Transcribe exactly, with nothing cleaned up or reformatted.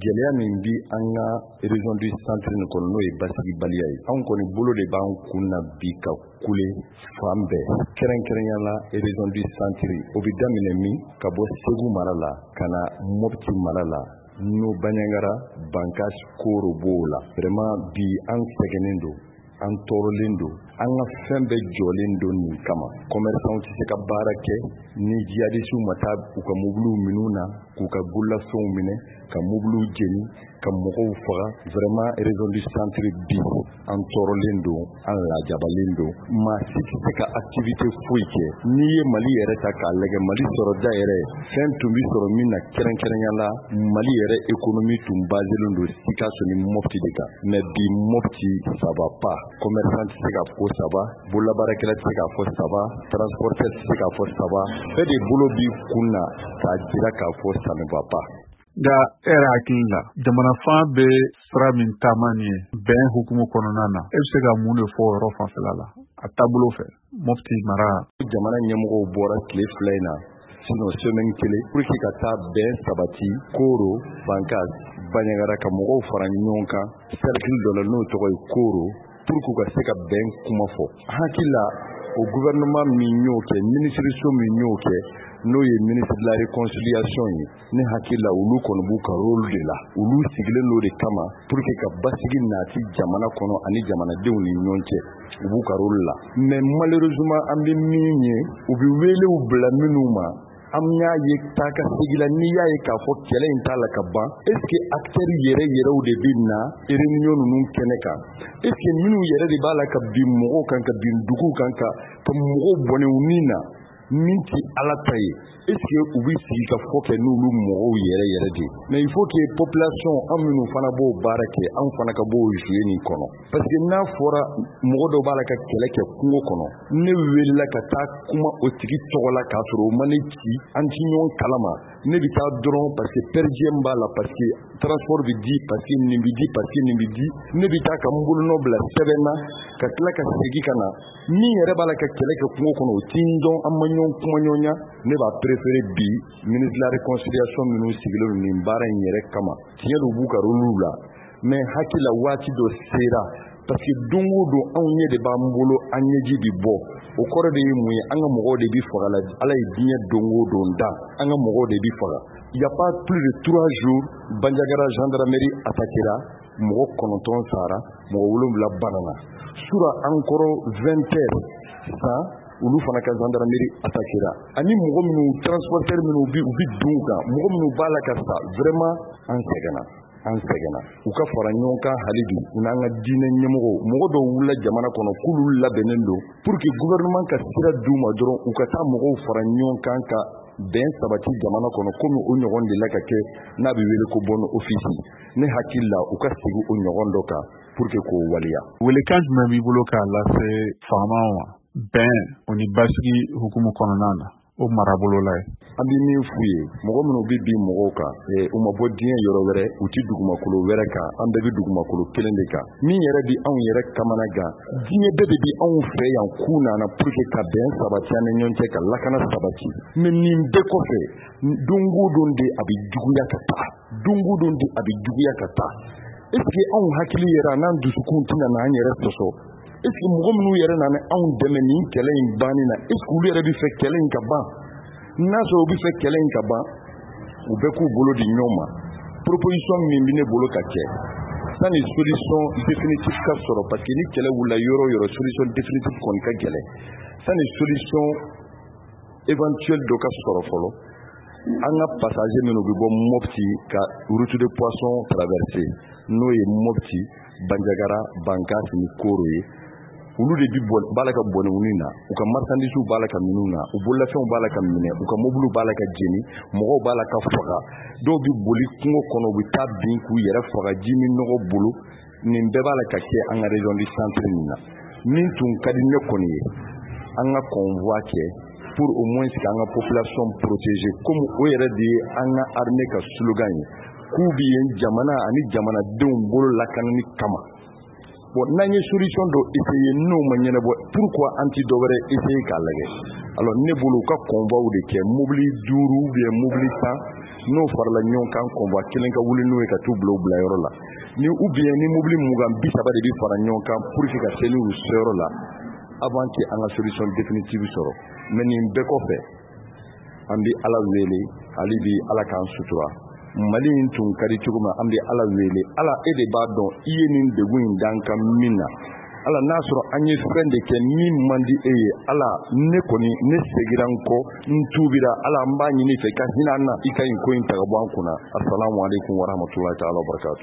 Gɛlɛya min bi an ka région du centre nin kɔnɔ, n'o ye basigibaliya ye, anw kɔni bolo de b'an kun na bi ka kule fan bɛɛ, kɛrɛnkɛrɛnya la région du centre. O bɛ daminɛ min ka bɔ Segu mara la ka na Mopti mara la, n'o Bandiagara, Bankass, Koro b'o la. Vraiment bi an sɛgɛnnen don, an tɔɔrɔlen don, an ka fɛn bɛɛ jɔlen don nin kama. Commerçant tɛ se ka baara kɛ ni jihadistes ma taa u ka mobiliw minɛ na, k'u ka bololafɛnw minɛ, ka mobiliw jeni, ka mɔgɔw faga. Vraiment région du centre bi an tɔɔrɔlen don, an lajabalen don, maa si tɛ se ka activité foyi kɛ. N'i ye Mali yɛrɛ ta k'a lajɛ, Mali sɔrɔda yɛrɛ, fɛn tun bɛ sɔrɔ min na, kɛrɛnkɛrɛnya la Mali yɛrɛ économie tun baselen don Sikaso ni Mopti de kan. Mais bi Mopti, ça va pas. Commerçant tɛ se k'a fɔ ko ça va, bololabaarakɛla tɛ se k'a fɔ ça va, transporteur tɛ se k'a fɔ ça va. Bɛɛ de bolo b'i kun na k'a jira k'a fɔ ça ne va pas. Nka e yɛrɛ hakili la, jamana fan bɛ sira min taama nin ye bɛn hukumu kɔnɔna na, e bɛ se ka mun de fɔ o yɔrɔ fanfɛla la a taabolo fɛ Mopti mara? Jamana ɲɛmɔgɔw bɔra tile fila in na, sinon semaine kelen, pour que ka taa bɛn sabati Koro, Bankass, Bandiagara, ka mɔgɔw fara ɲɔgɔn kan cercle dɔ la n'o tɔgɔ ye Koro, pour que u ka se ka bɛn kuma fɔ. Hakili la, o gouvernement min y'o kɛ, minisiriso min y'o kɛ, n'o ye ministre de la réconciliation ye, ne hakili la olu kɔni b'u ka rôle de la. Olu sigilen n'o de kama pour que ka basigi nati jamana kɔnɔ ani jamanadenw ni ɲɔgɔn cɛ. U b'u ka rôle la, mais malheureusement an bɛ min ye, u bɛ welew bila minnu ma, an y'a ye taa ka segin la. N'i y'a ye k'a fɔ kɛlɛ in t'a la ka ban, est ce que acteurs yɛrɛ yɛrɛw de bɛ na réunion ninnu kɛnɛ kan? Est ce que minnu yɛrɛ de b'a la ka bin mɔgɔw kan, ka bin duguw kan, ka ka mɔgɔw bɔnɛ u ni na, min ti Ala ta ye, est ce que u bɛ sigi ka fɔ kɛ n'olu mɔgɔw yɛrɛ yɛrɛ de? Mais il faut que population, an minnu fana b'o baara kɛ, anw fana ka b'o jouer nin kɔnɔ, parce que n'a fɔra mɔgɔ dɔ b'a la ka kɛlɛ kɛ kungo kɔnɔ, ne welela ka taa kuma o tigi tɔgɔ la k'a sɔrɔ o ma ne ci, an ti ɲɔgɔn kalama, ne bɛ taa dɔrɔn parce que per diem b'a la, parce que transport bɛ di, parce que nin bɛ di, parce que nin bɛ di, ne bɛ taa ka n bolonɔ bila sɛbɛn na ka tila ka segin ka na. Min yɛrɛ b'a la ka kɛlɛ kɛ kungo kɔnɔ, o ti n dɔn, an ma ɲɔgɔn kuma ɲɔgɔnya. Ne b'a préféré bi, ministre de la réconciliation minnu sigilen don nin baara in yɛrɛ kama, tiɲɛ don u b'u ka rôle la, mais hakili la waati dɔ sera, parce que don o don anw ɲɛ de b'an bolo, an ɲɛji bɛ bɔ. O kɔrɔ de ye mun ye? An ka mɔgɔw de bɛ faga la. Ala ye diɲɛ don o don da, an ka mɔgɔw de bɛ faga. Il y a pas plus de trois jours, Bandiagara gendarmerie attaquera, mɔgɔ kɔnɔntɔn sara, mɔgɔ wolonwula banana. Sura encore vingt heures san, olu fana ka gendarmerie attaquera. Ani mɔgɔ minnu, transporteur minnu bi u bi dun kan, mɔgɔ minnu b'a la ka sa, vraiment an sɛgɛnna, an sɛgɛnna. U ka fara ɲɔgɔn kan hali bi, u n'an ka diinɛ ɲɛmɔgɔw. Mɔgɔ dɔw wulila jamana kɔnɔ k'olu labɛnnen don pour que gouvernement ka sira d'u ma dɔrɔn, u ka taa mɔgɔw fara ɲɔgɔn kan ka bɛn sabati jamana kɔnɔ, komi o ɲɔgɔn de la ka kɛ n'a bɛ wele ko bonne office. Ne hakili la, u ka segin o ɲɔgɔn dɔ kan pour que k'o waleya. Welekan jumɛn b'i bolo k'a lase faamaw ma bɛn o ni basigi hukumu kɔnɔna na o marabolo la ye? An bɛ min f'u ye, mɔgɔ minnu bɛ bin mɔgɔw kan, u ma bɔ diɲɛ yɔrɔ wɛrɛ, u ti dugumakolo wɛrɛ kan, an bɛɛ bɛ dugumakolo kelen de kan. Min yɛrɛ bi anw yɛrɛ kamana gan, diɲɛ bɛɛ de bi anw fɛ yan k'u nana pour que ka bɛn sabati an ni ɲɔgɔn cɛ, ka lakana sabati. Mais nin bɛɛ kɔfɛ, don o don de a bɛ juguya ka taa, don o don de a bɛ juguya ka taa. Est ce que anw hakili yɛrɛ a n'an dusukun tɛna n'an yɛrɛ sɔsɔ? Est ce que mɔgɔ minnu yɛrɛ nana anw dɛmɛ nin kɛlɛ in banni na, est ce que olu yɛrɛ bɛ fɛ kɛlɛ in ka ban? N'a sɔrɔ u bɛ fɛ kɛlɛ in ka ban, u bɛɛ k'u bolo di ɲɔgɔn ma. Proposition min bɛ ne bolo ka kɛ, sani solution définitive ka sɔrɔ, parce que ni kɛlɛ wulila yɔrɔ o yɔrɔ, solution définitive kɔni ka gɛlɛn, sani solution éventuelle dɔ ka sɔrɔ fɔlɔ, an ka passager minnu bɛ bɔ Mopti ka route de poisson traverser, n'o ye Mopti, Bandiagara, Bankass ni Koro ye, olu de bi b'a la ka bɔnɛ u na, u ka marchandise b'a la ka minnu na, u bololafɛnw b'a la ka minɛ, u ka mobiliw b'a la ka jeni, mɔgɔw b'a la ka faga, dɔw bɛ boli kungo kɔnɔ, u bɛ taa bin k'u yɛrɛ faga ji min nɔgɔ bolo. Nin bɛɛ b'a la ka kɛ an ka région du centre nin na. Min tun ka di ne kɔni ye, an ka convoi kɛ pour au moins k'an ka population protéger, comme o yɛrɛ de ye an ka armée ka slogan ye, k'u bɛ yen jamana ani jamanadenw bolo lakanani kama. Bon, n'an ye solution dɔ essayer, n'o ma ɲɛnabɔ, pourquoi an ti dɔ wɛrɛ essayer k'a lajɛ? Alors ne bolo, u ka convoi de kɛ, mobili duuru ou bien mobili tan. N'o farala ɲɔgɔn kan, convoi kelen ka wuli n'o ye ka t'u bila u bilayɔrɔ la, ni ou bien ni mobili mugan bi saba de bɛ fara ɲɔgɔn kan pour que ka se n'u seyɔrɔ la avant que an ka solution définitive sɔrɔ. Mais nin bɛɛ kɔfɛ, an bɛ Ala wele hali bi, Ala k'an sutura. Mali in tun ka di cogo min, an bɛ Ala wele. Ala, e de b'a dɔn i ye nin degun in d'an kan min na. Ala, n'a sɔrɔ an ye fɛn de kɛ min man di e ye, Ala, ne kɔni ne segira n kɔ, n tuubira. Ala, n b'a ɲini fɛ i ka hinɛ an na, i ka nin ko in ta ka bɔ an kunna. Asalamu aleykum warahmatulahi taala wabarakatu.